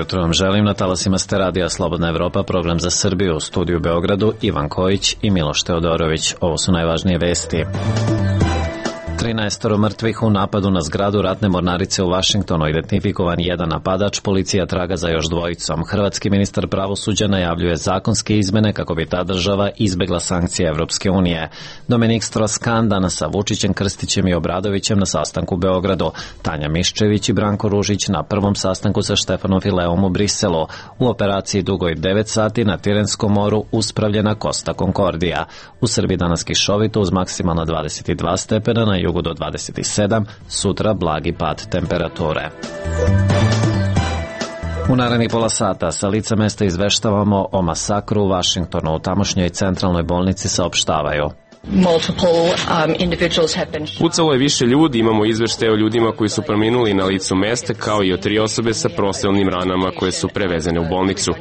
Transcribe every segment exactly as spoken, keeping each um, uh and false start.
jutro vam želim. Na talasima ste radija Slobodna Evropa, program za Srbiju, u studiju u Beogradu Ivan Kojić i Miloš Teodorović. Ovo su najvažnije vesti. trinaestoro mrtvih u napadu na zgradu ratne mornarice u Vašingtonu, identifikovan jedan napadač, policija traga za još dvojicom. Hrvatski ministar pravosuđa najavljuje zakonske izmene kako bi ta država izbegla sankcije Evropske unije. Dominik Strauss-Kahn danas sa Vučićem, Krstićem i Obradovićem na sastanku u Beogradu. Tanja Miščević i Branko Ružić na prvom sastanku sa Štefanom Fileom u Briselu. U operaciji dugoj devet sati na Tirenskom moru uspravljena Costa Concordia. U Srbiji danas kišovito uz maksimalno dvadeset dva stepena, na jugu do dvadeset sedam, sutra blagi pad temperature. U narednih pola sata sa lica mesta izveštavamo o masakru u Vašingtonu. U tamošnjoj centralnoj bolnici saopštavaju: Pucalo je više ljudi, imamo izveštaje o ljudima koji su preminuli na licu mesta, kao i o tri osobe sa prostrelnim ranama koje su prevezene u bolnicu.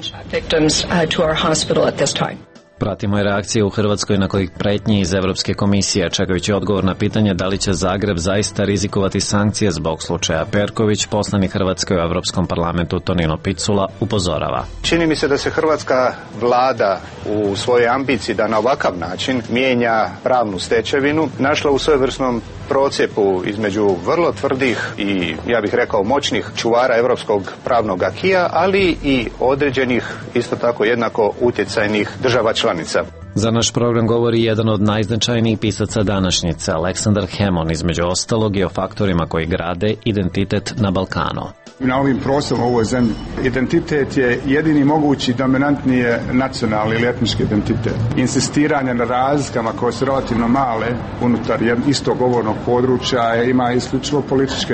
Pratimo i reakcije u Hrvatskoj na kojih pretnji iz Evropske komisije, čekajući odgovor na pitanje da li će Zagreb zaista rizikovati sankcije zbog slučaja Perković. Poslanik Hrvatske u Evropskom parlamentu Tonino Picula upozorava: Čini mi se da se hrvatska vlada u svojoj ambiciji da na ovakav način mijenja pravnu stečevinu našla u svojevrsnom procjepu između vrlo tvrdih i, ja bih rekao, moćnih čuvara evropskog pravnog akija, ali i određenih, isto tako jednako utjecajnih država članica. Za naš program govori jedan od najznačajnijih pisaca današnjice, Aleksandar Hemon, između ostalog i o faktorima koji grade identitet na Balkanu. Na ovim prostorima u ovoj zemlji identitet je jedini mogući dominantni je nacionalni ili etnički identitet. Insistiranje na razlikama koje su relativno male unutar istog govornog područja ima isključivo političke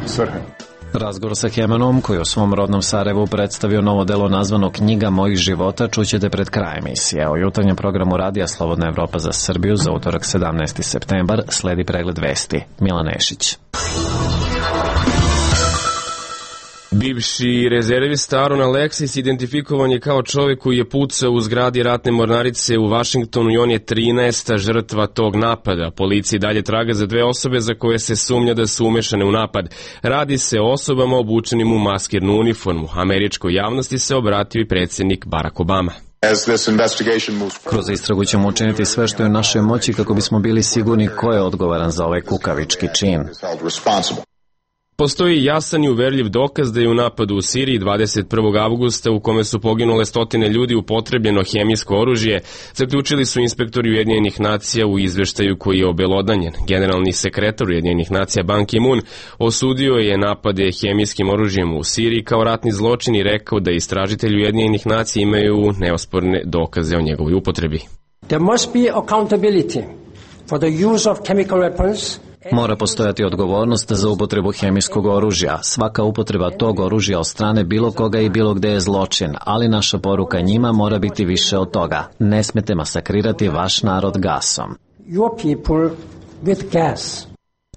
svrhe. Razgovor sa Hemonom, koji u svom rodnom Sarajevu predstavio novo delo nazvano Knjiga mojih života, čućete pred krajem emisije. O jutarnjem programu radija Slobodna Evropa za Srbiju za utorak sedamnaesti septembar sledi pregled vesti. Milan Nešić. Bivši rezervista Aaron Alexis identifikovan je kao čovjek koji je pucao u zgradi ratne mornarice u Vašingtonu i on je trinaesta žrtva tog napada. Policija dalje traga za dve osobe za koje se sumnja da su umešane u napad. Radi se o osobama obučenim u maskirnu uniformu. Američkoj javnosti se obratio i predsjednik Barack Obama. Kroz istragu ćemo učiniti sve što je u našoj moći kako bismo bili sigurni ko je odgovoran za ovaj kukavički čin. Postoji jasan i uverljiv dokaz da je u napadu u Siriji dvadeset prvog avgusta, u kome su poginule stotine ljudi, upotrebljeno hemijsko oružje, zaključili su inspektori Ujedinjenih nacija u izveštaju koji je obelodanjen. Generalni sekretar Ujedinjenih nacija Ban Ki-moon osudio je napade hemijskim oružjem u Siriji kao ratni zločin i rekao da istražitelji Ujedinjenih nacija imaju neosporne dokaze o njegovoj upotrebi. There must be accountability for the use of chemical weapons. Mora postojati odgovornost za upotrebu hemijskog oružja. Svaka upotreba tog oružja od strane bilo koga i bilo gde je zločin, ali naša poruka njima mora biti više od toga. Ne smete masakrirati vaš narod gasom. Your people with gas.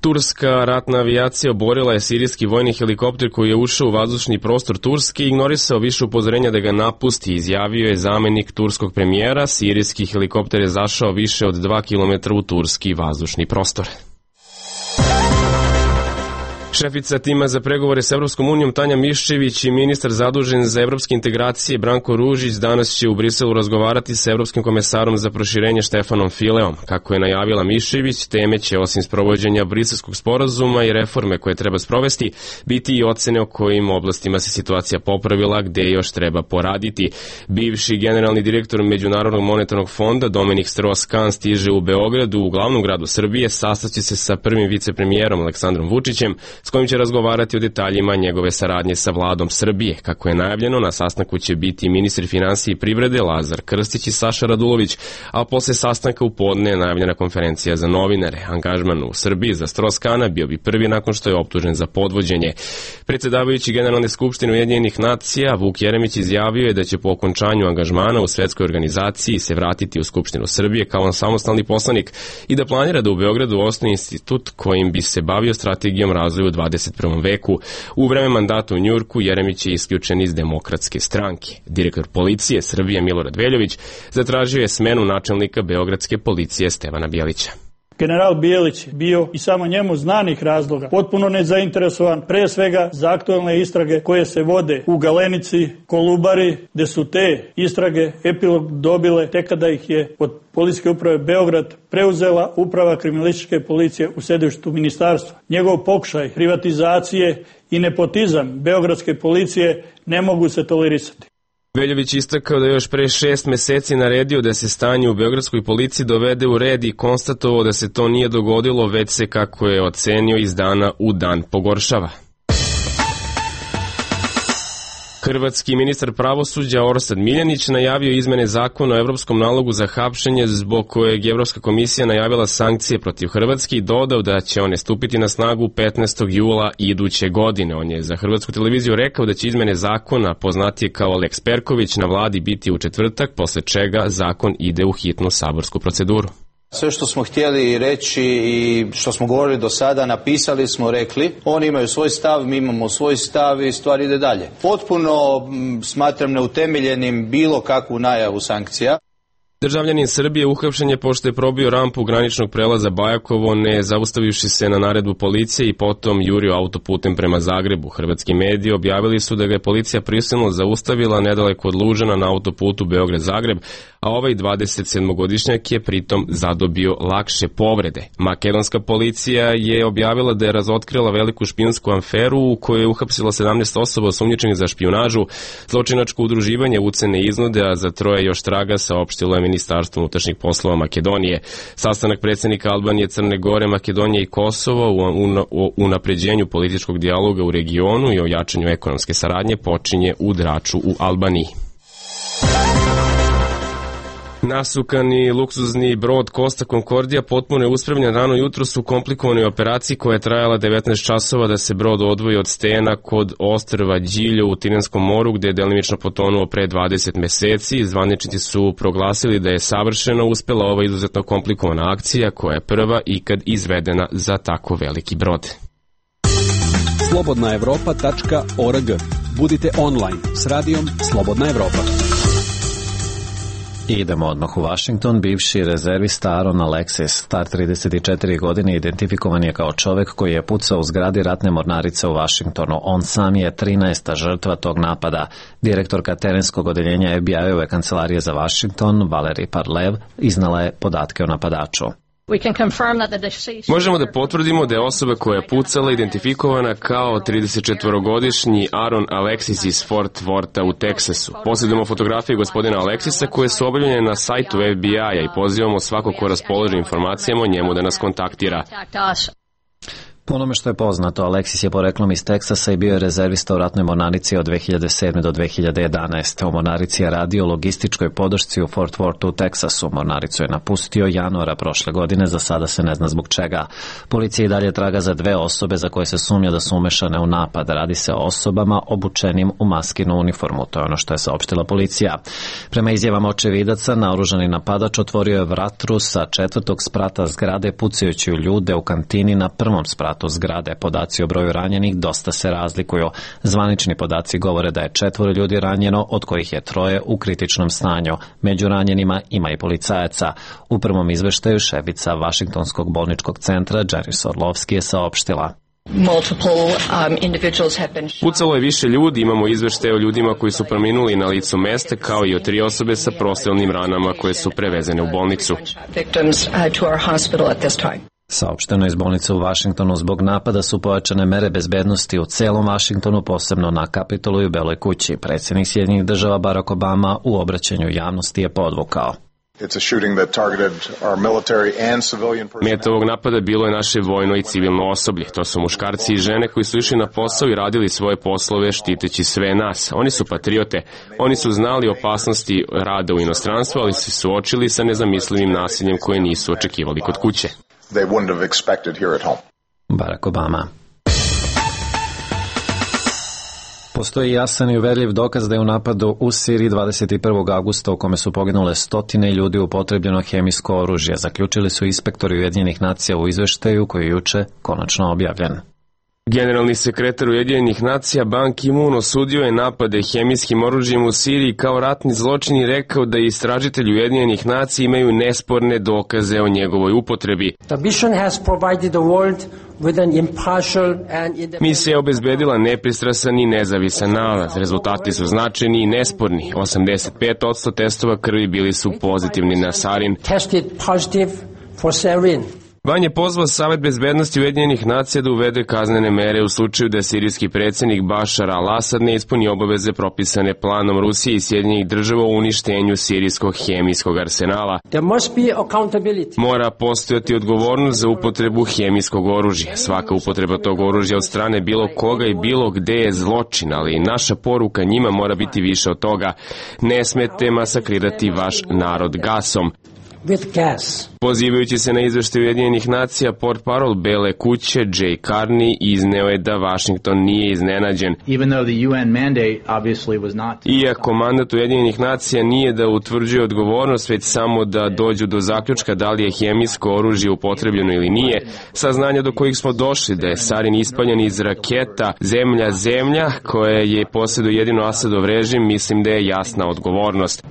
Turska ratna avijacija oborila je sirijski vojni helikopter koji je ušao u vazdušni prostor Turske i ignorisao više upozorenja da ga napusti, izjavio je zamenik turskog premijera. Sirijski helikopter je zašao više od dva kilometra u turski vazdušni prostor. Šefica tima za pregovore s Evropskom unijom Tanja Miščević i ministar zadužen za evropske integracije Branko Ružić danas će u Briselu razgovarati sa evropskim komesarom za proširenje Štefanom Fileom. Kako je najavila Miščević, teme će osim sprovođenja briselskog sporazuma i reforme koje treba sprovesti, biti i ocene o kojim oblastima se situacija popravila, gde još treba poraditi. Bivši generalni direktor Međunarodnog monetarnog fonda Dominik Strauss-Kahn stiže u Beogradu, u glavnom gradu Srbije, sastaće se sa prvim vicepremijerom Aleksandrom Vučićem, s kojim će razgovarati o detaljima njegove saradnje sa vladom Srbije. Kako je najavljeno, na sastanku će biti ministri finansije i privrede Lazar Krstić i Saša Radulović, a posle sastanka u podne je najavljena konferencija za novinare. Angažman u Srbiji za Strauss-Kahna bio bi prvi nakon što je optužen za podvođenje. Predsjedavajući Generalne skupštine Ujedinjenih nacija Vuk Jeremić izjavio je da će po okončanju angažmana u svetskoj organizaciji se vratiti u Skupštinu Srbije kao samostalni poslanik i da planira da u Beogradu osnuje institut kojim bi se bavio strategijom razvoja u dvadeset prvom veku. U vreme mandata u Njujorku Jeremić je isključen iz Demokratske stranke. Direktor policije Srbije Milorad Veljović zatražio je smenu načelnika beogradske policije Stevana Bjelića. General Bijelić bio i samo njemu znanih razloga potpuno nezainteresovan, pre svega za aktualne istrage koje se vode u Galenici, Kolubari, gde su te istrage epilog dobile tek kada ih je od Policijske uprave Beograd preuzela uprava kriminalističke policije u sedištu ministarstva. Njegov pokušaj privatizacije i nepotizam beogradske policije ne mogu se tolerisati. Veljović istakao da je još pre šest meseci naredio da se stanje u beogradskoj policiji dovede u red i konstatovao da se to nije dogodilo, već se, kako je ocenio, iz dana u dan pogoršava. Hrvatski ministar pravosuđa Orsat Miljanić najavio izmene zakona o evropskom nalogu za hapšenje, zbog kojeg Evropska komisija najavila sankcije protiv Hrvatske i dodao da će one stupiti na snagu petnaestog jula iduće godine. On je za Hrvatsku televiziju rekao da će izmene zakona, poznatije kao Lex Perković, na vladi biti u četvrtak, posle čega zakon ide u hitnu saborsku proceduru. Sve što smo htjeli reći i što smo govorili do sada, napisali smo, rekli. Oni imaju svoj stav, mi imamo svoj stav i stvar ide dalje. Potpuno m, smatram neutemeljenim bilo kakvu najavu sankcija. Državljanin Srbije uhapšen je pošto je probio rampu graničnog prelaza Bajakovo, ne zaustavivši se na naredbu policije i potom jurio autoputem prema Zagrebu. Hrvatski mediji objavili su da ga je policija prisilno zaustavila nedaleko od Lužana na autoputu Beograd-Zagreb, a ovaj dvadesetsedmogodišnjak je pritom zadobio lakše povrede. Makedonska policija je objavila da je razotkrila veliku špijunsku aferu u kojoj je uhapsila sedamnaest osoba osumnjičenih za špijunažu, zločinačko udruživanje, ucene i iznude, a za troje još traga, saopštilo je Ministarstvo unutrašnjih poslova Makedonije. Sastanak predsjednika Albanije, Crne Gore, Makedonije i Kosova u unapređenju političkog dijaloga u regionu i o jačanju ekonomske saradnje počinje u Draču u Albaniji. Nasukani luksuzni brod Costa Concordia potpuno je uspravljen rano jutros u komplikovanoj operaciji koja je trajala devetnaest časova da se brod odvoji od stena kod ostrva Điljo u Tiranskom moru, gde je delimično potonuo pre dvadeset meseci. Zvaničnici su proglasili da je savršeno uspela ova izuzetno komplikovana akcija koja je prva ikad izvedena za tako veliki brod. slobodna evropa tačka org. Budite online s radijom Slobodna Evropa. I idemo odmah u Washington. Bivši rezervista Aaron Alexis, star trideset četiri godine, identifikovan je kao čovek koji je pucao u zgradi ratne mornarice u Washingtonu. On sam je trinaesta žrtva tog napada. Direktorka terenskog odeljenja F B I-ove kancelarije za Washington, Valerie Parlev, iznala je podatke o napadaču. Možemo da potvrdimo da je osoba koja je pucala identifikovana kao tridesetčetvorogodišnji Aaron Alexis iz Fort Wortha u Teksasu. Posjedujemo fotografije gospodina Alexisa koje su objavljene na sajtu F B I-a i pozivamo svako ko raspoloži informacijama o njemu da nas kontaktira. Po onome što je poznato, Alexis je poreklom iz Teksasa i bio je rezervista u ratnoj mornarici od dve hiljade sedme do dve hiljade jedanaeste. U mornarici je radio logističkoj podršci u Fort Worthu u Teksasu. Mornaricu je napustio januara prošle godine, za sada se ne zna zbog čega. Policija i dalje traga za dve osobe za koje se sumnja da su umešane u napad. Radi se o osobama obučenim u maskinu uniformu, to je ono što je saopštila policija. Prema izjavama očevidaca, naoružani napadač otvorio je vatru sa četvrtog sprata zgrade pucajući u ljude u kantini na prvom spratu zgrade. Podaci o broju ranjenih dosta se razlikuju. Zvanični podaci govore da je četvoro ljudi ranjeno, od kojih je troje u kritičnom stanju. Među ranjenima ima i policajaca. U prvom izveštaju šefica Vašingtonskog bolničkog centra Jerry Orlovski je saopštila: Pucalo je više ljudi, imamo izveštaje o ljudima koji su preminuli na licu mesta, kao i o tri osobe sa prostrelnim ranama koje su prevezene u bolnicu. Saopšteno iz bolnice u Vašingtonu, zbog napada su pojačane mere bezbednosti u celom Vašingtonu, posebno na Kapitolu i u Beloj kući. Predsjednik Sjedinjenih država Barack Obama u obraćanju javnosti je podvukao: Meta ovog napada bilo je naše vojno i civilno osoblje. To su muškarci i žene koji su išli na posao i radili svoje poslove štiteći sve nas. Oni su patriote. Oni su znali opasnosti rada u inostranstvu, ali se suočili sa nezamislivim nasiljem koje nisu očekivali kod kuće. They wouldn't have expected here at home. Barack Obama. Postoji jasan i uverljiv dokaz da je u napadu u Siriji dvadeset prvog avgusta u kome su poginule stotine ljudi upotrebljeno hemijsko oružje, zaključili su inspektori Ujedinjenih nacija u izveštaju koji je juče konačno objavljen. Generalni sekretar Ujedinjenih nacija Ban Ki-moon osudio je napade hemijskim oružjem u Siriji kao ratni zločin i rekao da istražitelji Ujedinjenih nacija imaju nesporne dokaze o njegovoj upotrebi. Misija je obezbedila nepristrasan i nezavisan nalaz. Rezultati su značajni i nesporni. osamdeset pet posto testova krvi bili su pozitivni na sarin. Ban je pozvao Savet bezbednosti Ujedinjenih nacija da uvede kaznene mere u slučaju da sirijski predsjednik Bašar al-Asad ne ispuni obaveze propisane planom Rusije i Sjedinjenih država o uništenju sirijskog hemijskog arsenala. Mora postojati odgovornost za upotrebu hemijskog oružja. Svaka upotreba tog oružja od strane bilo koga i bilo gde je zločin, ali naša poruka njima mora biti više od toga. Ne smete masakrirati vaš narod gasom. Pozivajući se na izveštaj Ujedinjenih nacija, portparol Bele kuće Jay Carney izneo je da Vašington nije iznenađen. Iako mandat Ujedinjenih nacija nije da utvrđuje odgovornost, već samo da dođu do zaključka da li je hemijsko oružje upotrebljeno ili nije, saznanja do kojih smo došli da je sarin ispaljen iz raketa zemlja-zemlja koje je posjeduje jedino Asadov režim, mislim da je jasna odgovornost.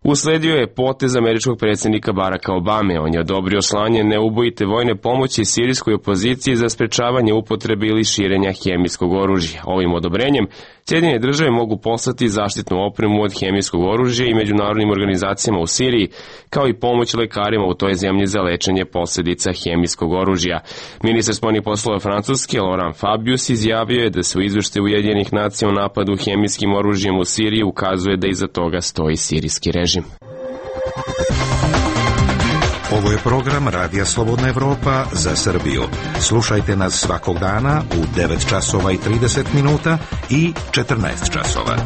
Usledio je potez američkog predsjednika Baracka Obame. On je odobrio slanje neubojite vojne pomoći sirijskoj opoziciji za sprečavanje upotrebe ili širenja hemijskog oružja. Ovim odobrenjem Sjedinjene države mogu poslati zaštitnu opremu od hemijskog oružja i međunarodnim organizacijama u Siriji, kao i pomoć lekarima u toj zemlji za lečenje posljedica hemijskog oružja. Ministar spoljnih poslova Francuske Laurent Fabius izjavio je da se u izveštaju Ujedinjenih nacija o napadu hemijskim oružjem u Siriji ukazuje da iza toga stoji sirijski režim. Ovo je program Radija Slobodna Evropa za Srbiju. Slušajte nas svakog dana u devet časova i trideset minuta i četrnaest časova.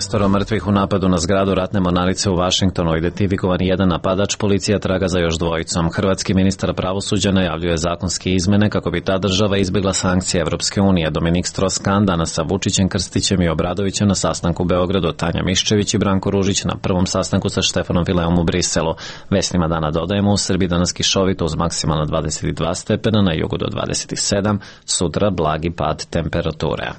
trinaestoro mrtvih u napadu na zgradu ratne mornarice u Vašingtonu, identifikovan jedan napadač, policija traga za još dvojicom. Hrvatski ministar pravosuđa najavljuje zakonske izmene kako bi ta država izbjegla sankcije Evropske unije. Dominik Strauss-Kahn danas sa Vučićem, Krstićem i Obradovićem na sastanku u Beogradu, Tanja Miščević i Branko Ružić na prvom sastanku sa Štefanom Fileom u Briselu. Vesnima dana dodajemo, u Srbiji danas kišovito uz maksimalno dvadeset dva stepena, na jugu do dvadeset sedam, sutra blagi pad temperature.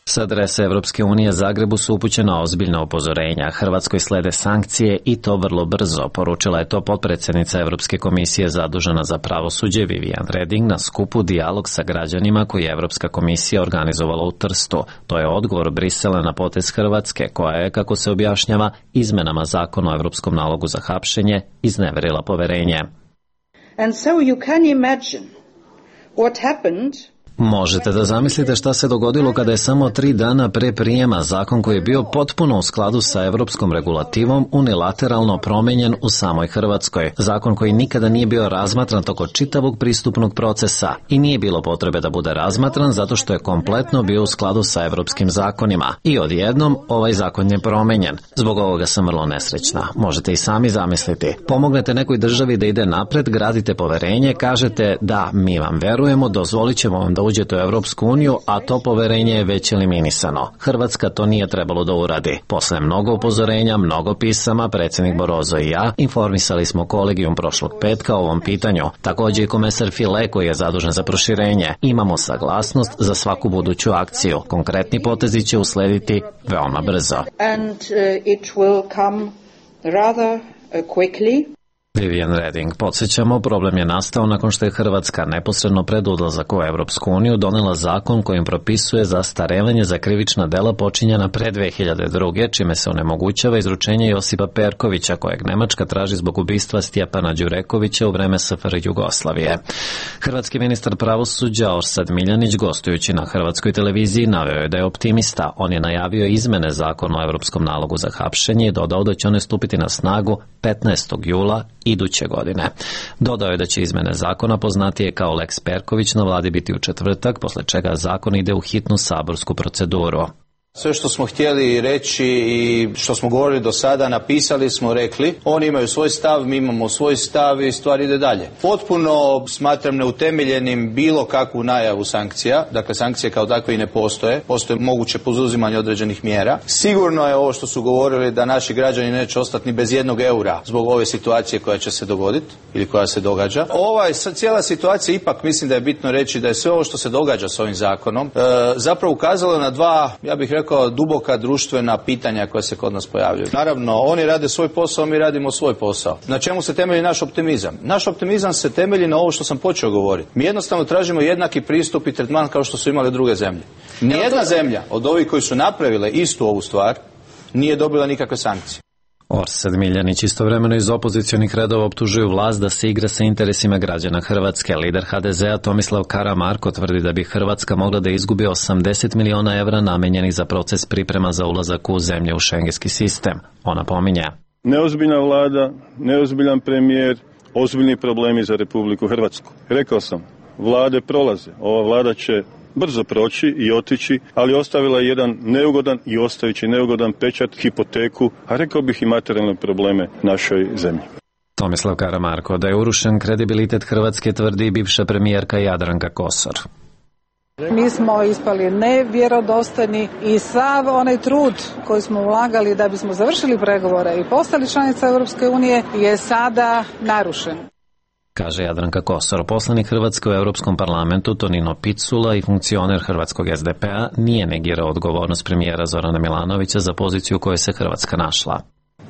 Sa adrese Evropske unije Zagrebu su upućena ozbiljna upozorenja. Hrvatskoj slede sankcije i to vrlo brzo. Poručila je to potpredsjednica Evropske komisije zadužena za pravosuđe Viviane Reding na skupu Dijalog sa građanima koji je Evropska komisija organizovala u Trstu. To je odgovor Brisela na potez Hrvatske, koja je, kako se objašnjava, izmenama zakona o Evropskom nalogu za hapšenje izneverila poverenje. And so you can imagine what happened. Možete da zamislite šta se dogodilo kada je samo tri dana pre prijema zakon koji je bio potpuno u skladu sa evropskom regulativom unilateralno promenjen u samoj Hrvatskoj. Zakon koji nikada nije bio razmatran toko čitavog pristupnog procesa i nije bilo potrebe da bude razmatran zato što je kompletno bio u skladu sa evropskim zakonima. I odjednom ovaj zakon je promenjen. Zbog ovoga sam vrlo nesrećna. Možete i sami zamisliti. Pomognete nekoj državi da ide napred, gradite poverenje, kažete da mi vam verujemo, dozvolit ćemo vam da uđete u Evropsku uniju, a to poverenje je već eliminisano. Hrvatska to nije trebalo da uradi. Posle mnogo upozorenja, mnogo pisama, predsjednik Barroso i ja informisali smo kolegijum prošlog petka o ovom pitanju. Također i komesar File koji je zadužen za proširenje. Imamo saglasnost za svaku buduću akciju. Konkretni potezi će uslediti veoma brzo. And uh, it will come rather uh, quickly. Viviane Reding. Podsjećamo, problem je nastao nakon što je Hrvatska neposredno pred odlazak u Evropsku uniju donela zakon kojim propisuje zastarevanje za krivična dela počinjena pre dve hiljade druge, čime se onemogućava izručenje Josipa Perkovića, kojeg Nemačka traži zbog ubistva Stjepana Đurekovića u vreme S F R Jugoslavije. Hrvatski ministar pravosuđa Orsat Miljanić, gostujući na hrvatskoj televiziji, naveo je da je optimista. On je najavio izmene zakona o Evropskom nalogu za hapšenje i dodao da će one stupiti na snagu petnaestog jula iduće godine. Dodao je da će izmene zakona, poznatije kao Lex Perković, na vladi biti u četvrtak, posle čega zakon ide u hitnu saborsku proceduru. Sve što smo htjeli reći i što smo govorili do sada, napisali smo, rekli. Oni imaju svoj stav, mi imamo svoj stav i stvar ide dalje. Potpuno smatram neutemeljenim bilo kakvu najavu sankcija. Dakle, sankcije kao takve i ne postoje. Postoje moguće poduzimanje određenih mjera. Sigurno je ovo što su govorili da naši građani neće ostati ni bez jednog eura zbog ove situacije koja će se dogoditi ili koja se događa. Ova cijela situacija, ipak mislim da je bitno reći da je sve ovo što se događa s ovim zakonom e, zapravo ukazalo na dva, ja bih rekao, kao duboka društvena pitanja koja se kod nas pojavljuju. Naravno, oni rade svoj posao, mi radimo svoj posao. Na čemu se temelji naš optimizam? Naš optimizam se temelji na ovo što sam počeo govoriti. Mi jednostavno tražimo jednaki pristup i tretman kao što su imale druge zemlje. Nijedna zemlja od ovih koji su napravile istu ovu stvar nije dobila nikakve sankcije. Orsad Miljanić istovremeno iz opozicionih redova optužuju vlast da se igra sa interesima građana Hrvatske. Lider ha de zea Tomislav Karamarko tvrdi da bi Hrvatska mogla da izgubi osamdeset miliona evra namenjenih za proces priprema za ulazak u zemlje u šengenski sistem. Ona pominje: neozbiljna vlada, neozbiljan premijer, ozbiljni problemi za Republiku Hrvatsku. Rekao sam, vlade prolaze. Ova vlada će brzo proći i otići, ali ostavila je jedan neugodan i ostavići neugodan pečat, hipoteku, a rekao bih i materijalne probleme našoj zemlji. Tomislav Karamarko da je urušen kredibilitet Hrvatske tvrdi bivša premijerka Jadranka Kosor. Mi smo ispali nevjerodostojni i sav onaj trud koji smo ulagali da bismo završili pregovore i postali članica Europske unije je sada narušen. Kaže Jadranka Kosor. Poslanik Hrvatske u Europskom parlamentu Tonino Picula i funkcioner hrvatskog es de pe a nije negirao odgovornost premijera Zorana Milanovića za poziciju u kojoj se Hrvatska našla.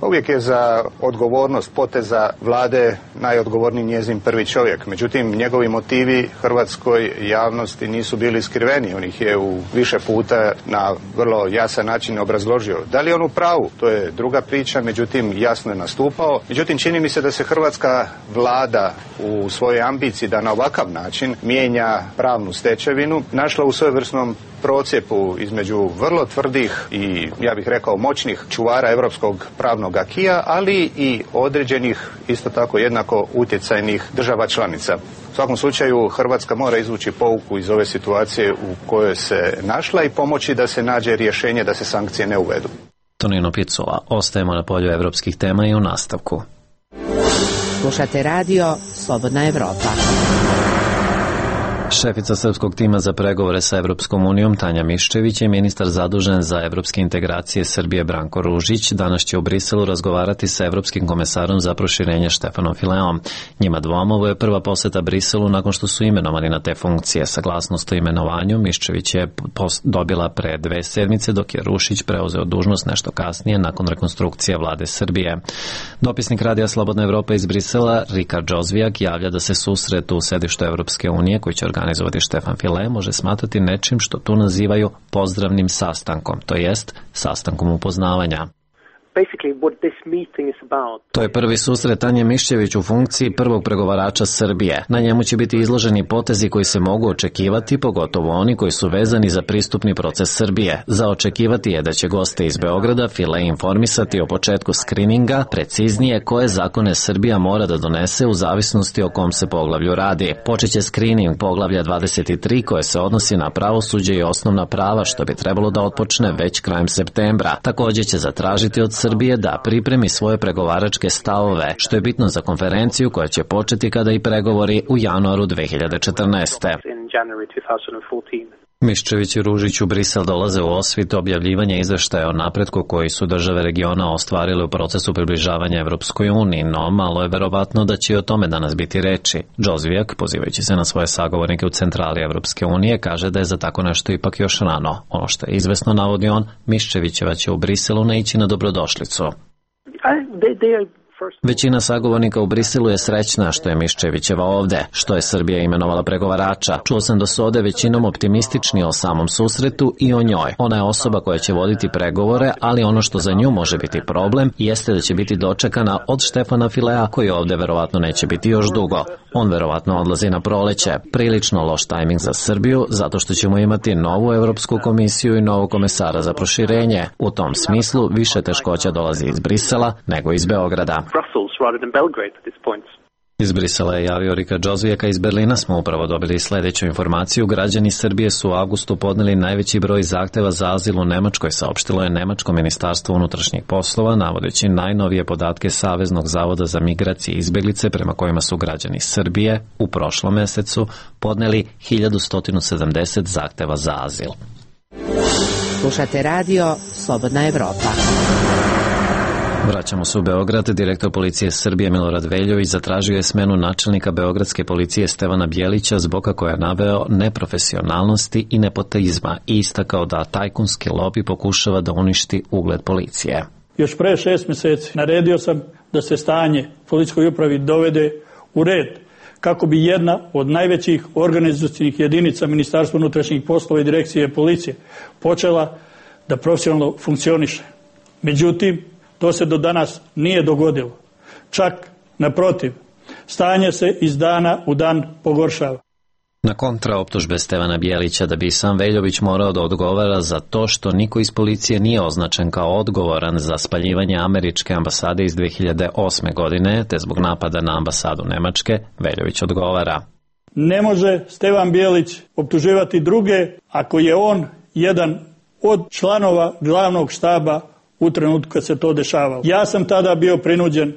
Uvijek je za odgovornost poteza vlade najodgovorniji njezin prvi čovjek. Međutim, njegovi motivi hrvatskoj javnosti nisu bili skriveni. On ih je u više puta na vrlo jasan način obrazložio. Da li je on u pravu? To je druga priča, međutim jasno je nastupao. Međutim, čini mi se da se hrvatska vlada u svojoj ambiciji da na ovakav način mijenja pravnu stečevinu našla u svojevrsnom procjepu između vrlo tvrdih i, ja bih rekao, moćnih čuvara europskog pravnog akija, ali i određenih, isto tako jednako utjecajnih država članica. U svakom slučaju Hrvatska mora izvući pouku iz ove situacije u kojoj se našla i pomoći da se nađe rješenje da se sankcije ne uvedu. Tonino Picula, ostajemo na polju evropskih tema i u nastavku. Slušate radio Slobodna Evropa. Šefica srpskog tima za pregovore sa Evropskom unijom Tanja Miščević i ministar zadužen za evropske integracije Srbije Branko Ružić danas će u Briselu razgovarati sa evropskim komesarom za proširenje Štefanom Fileom. Njima dvoma ovo je prva poseta Briselu nakon što su imenovani na te funkcije. Saglasnost o imenovanju Miščević je dobila pre dve sedmice, dok je Rušić preuzeo dužnost nešto kasnije nakon rekonstrukcije vlade Srbije. Dopisnik Radija Slobodna Evropa iz Brisela Rikard Džozvijak javlja da se susret u sedištu Evropske unije koji će organizovati Štefan File može smatrati nečim što tu nazivaju pozdravnim sastankom, to jest sastankom upoznavanja. To je prvi susret Tanje Miščević u funkciji prvog pregovarača Srbije. Na njemu će biti izloženi potezi koji se mogu očekivati, pogotovo oni koji su vezani za pristupni proces Srbije. Za očekivati je da će goste iz Beograda File informisati o početku skrininga, preciznije koje zakone Srbija mora da donese u zavisnosti o kom se poglavlju radi. Počeće skrining poglavlja dvadeset tri koje se odnosi na pravosuđe i osnovna prava, što bi trebalo da otpočne već krajem septembra. Također će zatražiti od Srbije da pripremi svoje pregovaračke stavove, što je bitno za konferenciju koja će početi kada i pregovori u januaru dve hiljade četrnaeste. Miščević i Ružić u Brisel dolaze u osvit objavljivanja izveštaja o napretku koji su države regiona ostvarile u procesu približavanja Evropskoj uniji, no malo je verovatno da će i o tome danas biti reči. Džozvijak, pozivajući se na svoje sagovornike u centrali Evropske unije, kaže da je za tako nešto ipak još rano. Ono što je izvesno, navodi on, Miščevićeva će u Briselu naići na dobrodošlicu. Većina sagovornika u Briselu je srećna što je Miščevićeva ovde, što je Srbija imenovala pregovarača. Čuo sam da su ovde većinom optimistični o samom susretu i o njoj. Ona je osoba koja će voditi pregovore, ali ono što za nju može biti problem jeste da će biti dočekana od Štefana Filea, koji ovde verovatno neće biti još dugo. On verovatno odlazi na proleće. Prilično loš tajming za Srbiju, zato što ćemo imati novu Evropsku komisiju i novog komesara za proširenje. U tom smislu više teškoća dolazi iz Brisela nego iz Beograda. Iz Brisela je javio Rika Džozvijeka, iz Berlina smo upravo dobili sljedeću informaciju. Građani Srbije su u avgustu podneli najveći broj zahteva za azil u Nemačkoj, saopštilo je Nemačko ministarstvo unutrašnjih poslova, navodeći najnovije podatke Saveznog zavoda za migracije i izbjeglice, prema kojima su građani Srbije u prošlom mesecu podneli hiljadu sto sedamdeset zahteva za azil. Slušate radio Slobodna Evropa. Vraćamo se u Beograd. Direktor policije Srbije Milorad Veljović zatražio je smenu načelnika beogradske policije Stevana Bjelića zbog kako je naveo neprofesionalnosti i nepotizma i istakao da tajkunski lobi pokušava da uništi ugled policije. Još pre šest mjeseci naredio sam da se stanje policijskoj upravi dovede u red kako bi jedna od najvećih organizacijskih jedinica Ministarstva unutrašnjih poslova i direkcije policije počela da profesionalno funkcioniše. Međutim, to se do danas nije dogodilo. Čak naprotiv, stanje se iz dana u dan pogoršava. Na kontra optužbe Stevana Bjelića da bi sam Veljović morao da odgovara za to što niko iz policije nije označen kao odgovoran za spaljivanje američke ambasade iz dve hiljade osme. godine, te zbog napada na ambasadu Nemačke, Veljović odgovara. Ne može Stevan Bjelić optuživati druge ako je on jedan od članova glavnog štaba u trenutku kad se to dešavalo. Ja sam tada bio prinuđen,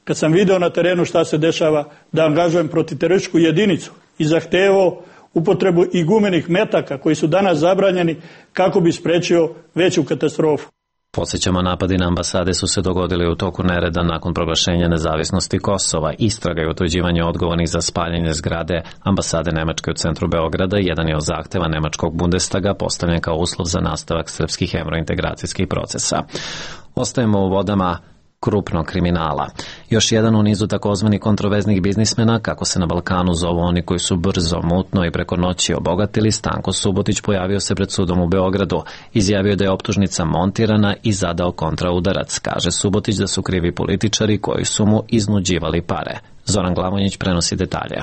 kad sam video na terenu šta se dešava, da angažujem protiterorističku jedinicu i zahtevao upotrebu i gumenih metaka koji su danas zabranjeni kako bi sprečio veću katastrofu. Podsjećamo, napadi na ambasade su se dogodili u toku nereda nakon proglašenja nezavisnosti Kosova. Istraga i utvrđivanje odgovornih za spaljenje zgrade ambasade Nemačke u centru Beograda jedan je od zahteva Nemačkog Bundestaga postavljen kao uslov za nastavak srpskih evrointegracijskih procesa. Ostajemo u vodama krupnog kriminala. Još jedan u nizu takozvanih kontroverznih biznismena, kako se na Balkanu zovu oni koji su brzo, mutno i preko noći obogatili, Stanko Subotić pojavio se pred sudom u Beogradu. Izjavio da je optužnica montirana i zadao kontraudarac. Kaže Subotić da su krivi političari koji su mu iznuđivali pare. Zoran Glavonjić prenosi detalje.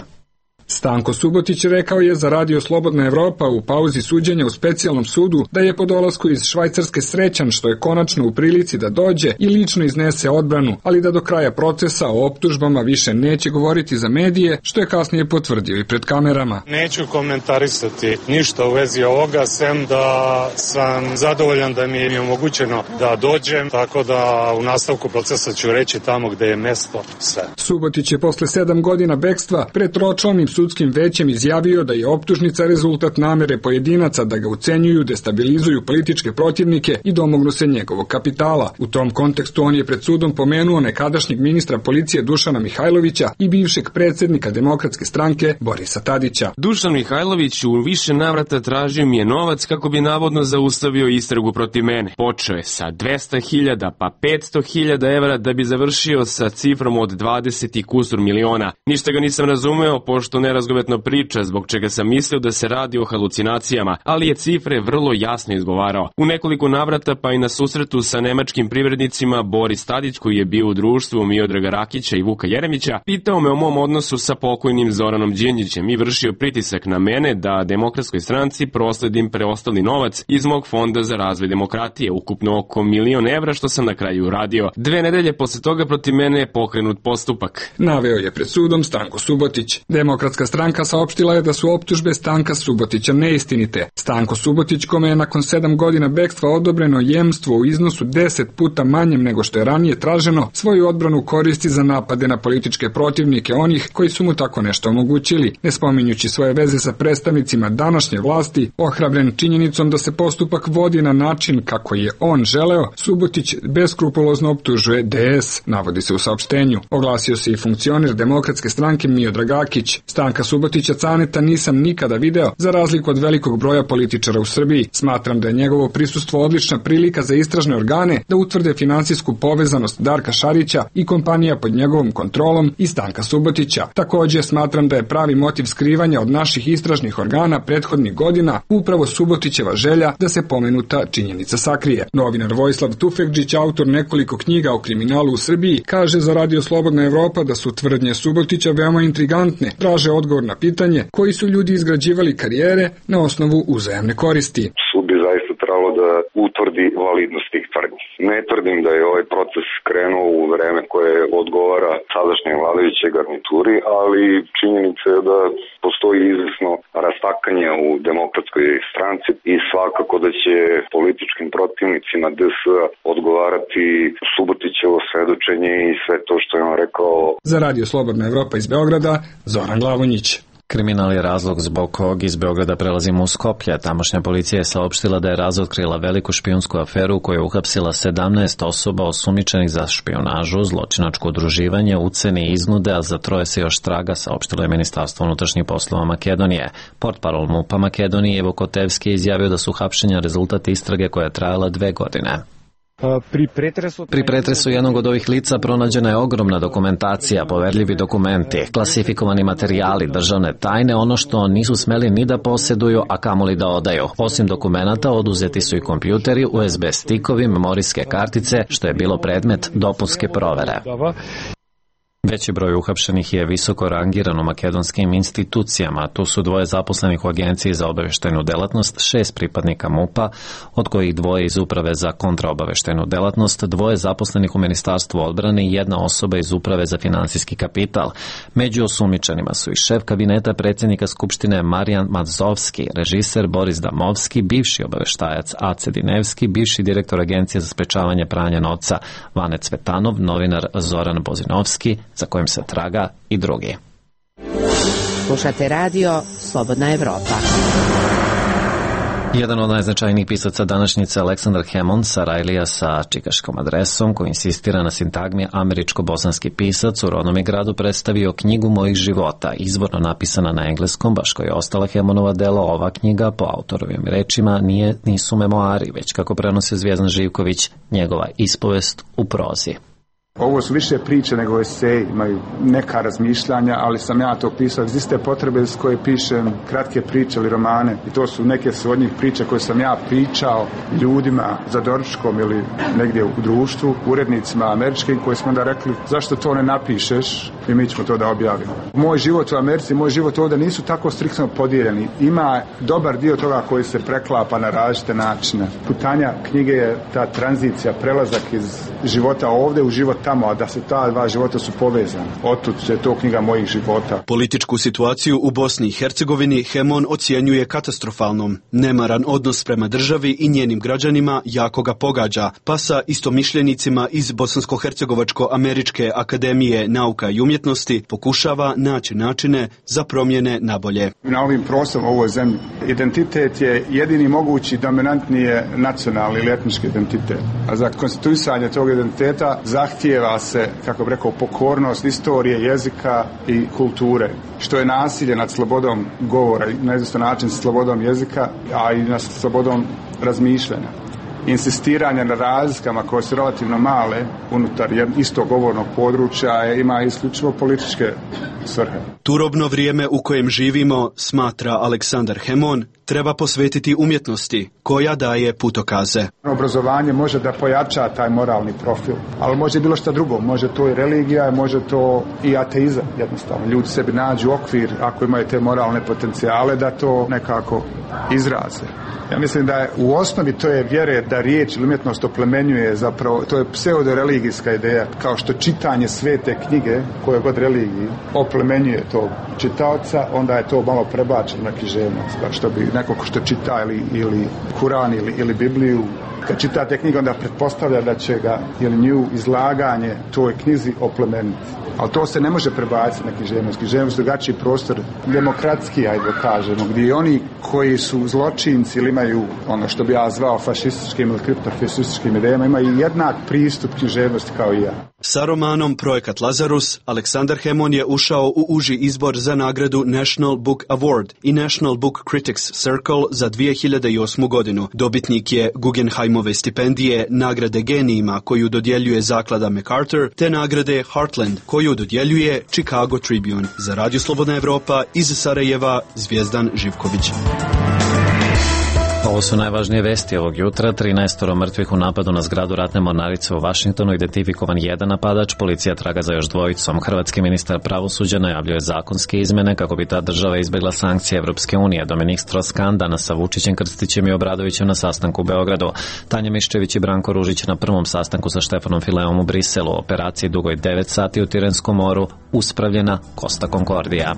Stanko Subotić rekao je za radio Slobodna Evropa u pauzi suđenja u specijalnom sudu da je po dolasku iz Švajcarske srećan što je konačno u prilici da dođe i lično iznese odbranu, ali da do kraja procesa o optužbama više neće govoriti za medije, što je kasnije potvrdio i pred kamerama. Neću komentarisati ništa u vezi ovoga, sem da sam zadovoljan da mi je omogućeno da dođem, tako da u nastavku procesa ću reći tamo gde je mesto sve. Subotić je posle sedam godina bekstva pred tročlanim sudskim većem izjavio da je optužnica rezultat namere pojedinaca da ga ucenjuju, destabilizuju političke protivnike i domognu se njegovog kapitala. U tom kontekstu on je pred sudom pomenuo nekadašnjeg ministra policije Dušana Mihajlovića i bivšeg predsjednika Demokratske stranke Borisa Tadića. Dušan Mihajlović u više navrata tražio mi je novac kako bi navodno zaustavio istragu protiv mene. Počeo je sa dvesta hiljada pa petsto hiljada evra da bi završio sa cifrom od dvadeset i kusur miliona. Ništa ga nisam razumeo, pošto nerazgovetno priča, zbog čega sam mislio da se radi o halucinacijama, ali je cifre vrlo jasno izgovarao. U nekoliko navrata pa i na susretu sa nemačkim privrednicima Boris Tadić, koji je bio u društvu Miodraga Rakića i Vuka Jeremića, pitao me o mom odnosu sa pokojnim Zoranom Đinđićem i vršio pritisak na mene da Demokratskoj stranci prosledim preostali novac iz mog fonda za razvoj demokratije, ukupno oko milion evra, što sam na kraju uradio. Dve nedelje posle toga protiv mene je pokrenut postupak. Naveo je pred sudom Stanko Subotić. Demokratska stranka saopštila je da su optužbe Stanka Subotića neistinite. Stanko Subotić, kome je nakon sedam godina bekstva odobreno jemstvo u iznosu deset puta manjem nego što je ranije traženo, svoju odbranu koristi za napade na političke protivnike onih koji su mu tako nešto omogućili, ne spominjući svoje veze sa predstavnicima današnje vlasti. Ohrabren činjenicom da se postupak vodi na način kako je on želeo, Subotić beskrupulozno optužuje D S, navodi se u saopštenju. Oglasio se i funkcioner Demokratske stranke Miodrag Rakić. Stanka Subotića Caneta nisam nikada video, za razliku od velikog broja političara u Srbiji. Smatram da je njegovo prisustvo odlična prilika za istražne organe da utvrde finansijsku povezanost Darka Šarića i kompanija pod njegovom kontrolom i Stanka Subotića. Također smatram da je pravi motiv skrivanja od naših istražnih organa prethodnih godina upravo Subotićeva želja da se pomenuta činjenica sakrije. Novinar Vojislav Tufekđić, autor nekoliko knjiga o kriminalu u Srbiji, kaže za radio Slobodna Evropa da su tvrdnje Subotića veoma intrigantne, traže odgovor na pitanje koji su ljudi izgrađivali karijere na osnovu uzajamne koristi. Sud bi zaista natjeralo da utvrdi validnost tih tvrdnji. Ne tvrdim da je ovaj proces krenuo u vreme koje odgovara sadašnjoj vladajućoj garnituri, ali činjenica je da postoji izvesno rastakanje u demokratskoj stranci i svakako da će političkim protivnicima D S-a odgovarati Subotićevo svedočenje i sve to što je on rekao. Za Radio Slobodna Evropa iz Beograda, Zoran Glavonjić. Kriminal je razlog zbog kog iz Beograda prelazimo u Skoplje. Tamošnja policija je saopštila da je razotkrila veliku špijunsku aferu u kojoj je uhapsila sedamnaest osoba osumnjičenih za špijunažu, zločinačko udruživanje, ucene i iznude, a za troje se još traga, saopštilo je Ministarstvo unutrašnjih poslova Makedonije. Portparol MUP-a Makedonije Ivo Kotevski je izjavio da su hapšenja rezultat istrage koja je trajala dve godine. Pri pretresu... Pri pretresu jednog od ovih lica pronađena je ogromna dokumentacija, poverljivi dokumenti, klasifikovani materijali, državne tajne, ono što nisu smeli ni da posjeduju, a kamoli da odaju. Osim dokumenata, oduzeti su i kompjuteri, U S B stikovi, memorijske kartice, što je bilo predmet dopunske provere. Veći broj uhapšenih je visoko rangiran u makedonskim institucijama. Tu su dvoje zaposlenih u Agenciji za obaveštajnu delatnost, šest pripadnika MUP-a, od kojih dvoje iz Uprave za kontraobaveštajnu delatnost, dvoje zaposlenih u Ministarstvu odbrane i jedna osoba iz Uprave za finansijski kapital. Među osumnjičenima su i šef kabineta predsjednika Skupštine Marijan Mazovski, režiser Boris Damovski, bivši obaveštajac Ace Dinevski, bivši direktor Agencije za sprečavanje pranja novca Vane Cvetanov, novinar Zoran Bozinovski, za kojim se traga, i drugi. Slušate radio Slobodna Evropa. Jedan od najznačajnijih pisaca današnjice, Aleksandar Hemon, Sarajlija sa čikaškom adresom, koji insistira na sintagmi američko-bosanski pisac, u rodnom je gradu predstavio knjigu mojih života, izvorno napisana na engleskom, baš kao je ostala Hemonova dela. Ova knjiga, po autorovim rečima, nije, nisu memoari, već, kako prenosi Zvijezdan Živković, njegova ispovest u prozi. Ovo su više priče nego eseji, imaju neka razmišljanja, ali sam ja to pisao iz iste potrebe s koje pišem kratke priče ili romane. I to su neke su od njih priče koje sam ja pričao ljudima za doručkom ili negdje u društvu, urednicima američkim, koji smo onda rekli zašto to ne napišeš i mi ćemo to da objavimo. Moj život u Americi, moj život ovdje nisu tako striktno podijeljeni. Ima dobar dio toga koji se preklapa na različite načine. Putanja knjige je ta tranzicija, prelazak iz života ovdje u život tamo, a da se ta dva života su povezani. Otud je to knjiga mojih života. Političku situaciju u Bosni i Hercegovini Hemon ocjenjuje katastrofalnom. Nemaran odnos prema državi i njenim građanima jako ga pogađa, pa sa istomišljenicima iz Bosansko-Hercegovačko-Američke akademije nauka i umjetnosti pokušava naći načine za promjene na bolje. Na ovim prostorima u ovoj zemlji identitet je jedini mogući dominantni je nacionalni ili etnički identitet. A za konstituisanje tog identiteta zahtijeva se, kako bi rekao, pokornost istorije, jezika i kulture, što je nasilje nad slobodom govora, na izvestan način slobodom jezika, a i nad slobodom razmišljanja. Insistiranje na razlikama koje su relativno male unutar istog govornog područja ima isključivo političke svrhe. Turobno vrijeme u kojem živimo, smatra Aleksandar Hemon, treba posvetiti umjetnosti koja daje putokaze. Obrazovanje može da pojača taj moralni profil, ali može bilo šta drugo, može to i religija, može to i ateizam jednostavno. Ljudi sebi nađu okvir, ako imaju te moralne potencijale, da to nekako izraze. Ja mislim da je u osnovi to je vjere da riječ ili umjetnost oplemenjuje, zapravo to je pseudoreligijska ideja, kao što čitanje svete knjige, koje god religiji, oplemenjuje tog čitaoca, onda je to malo prebačeno na književnost, kao što bi neko ko što čita ili, ili Kuran ili, ili Bibliju, kad čitate knjigu, onda pretpostavlja da će ga ili nju izlaganje toj knjizi oplemeniti. Ali to se ne može prebaciti na književnost. Književnost je drugačiji prostor, demokratski, ajde da kažemo, gdje oni koji su zločinci ili imaju ono što bi ja zvao fašističkim ili kriptofašističkim idejama, imaju jednak pristup književnosti kao i ja. Sa romanom Projekat Lazarus, Aleksandar Hemon je ušao u uži izbor za nagradu National Book Award i National Book Critics Circle za dvije hiljade osmu godinu. Dobitnik je Guggenheimove stipendije, nagrade genijima koju dodjeljuje zaklada MacArthur, te nagrade Heartland koju dodjeljuje Chicago Tribune. Za Radio Slobodna Evropa iz Sarajeva, Zvijezdan Živković. Ovo su najvažnije vesti ovog jutra. trinaestoro mrtvih u napadu na zgradu ratne mornarice u Vašingtonu, identifikovan jedan napadač, policija traga za još dvojicom. Hrvatski ministar pravosuđa najavljuje zakonske izmene kako bi ta država izbjegla sankcije Evropske unije. Dominik Strauss-Kahn danas sa Vučićem, Krstićem i Obradovićem na sastanku u Beogradu. Tanja Miščević i Branko Ružić na prvom sastanku sa Štefanom Fileom u Briselu. Operaciji dugoj devet sati u Tirenskom moru uspravljena Costa Concordia.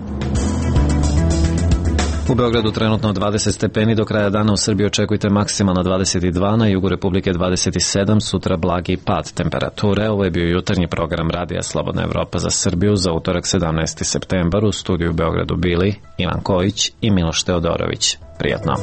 U Beogradu trenutno dvadeset stepeni, do kraja dana u Srbiji očekujte maksimalno dvadeset dva, na jugu Republike dvadeset sedam, sutra blagi pad temperature. Ovo je bio jutarnji program Radija Slobodna Evropa za Srbiju za utorak sedamnaesti septembar. U studiju u Beogradu bili Ivan Kojić i Miloš Teodorović. Prijatno.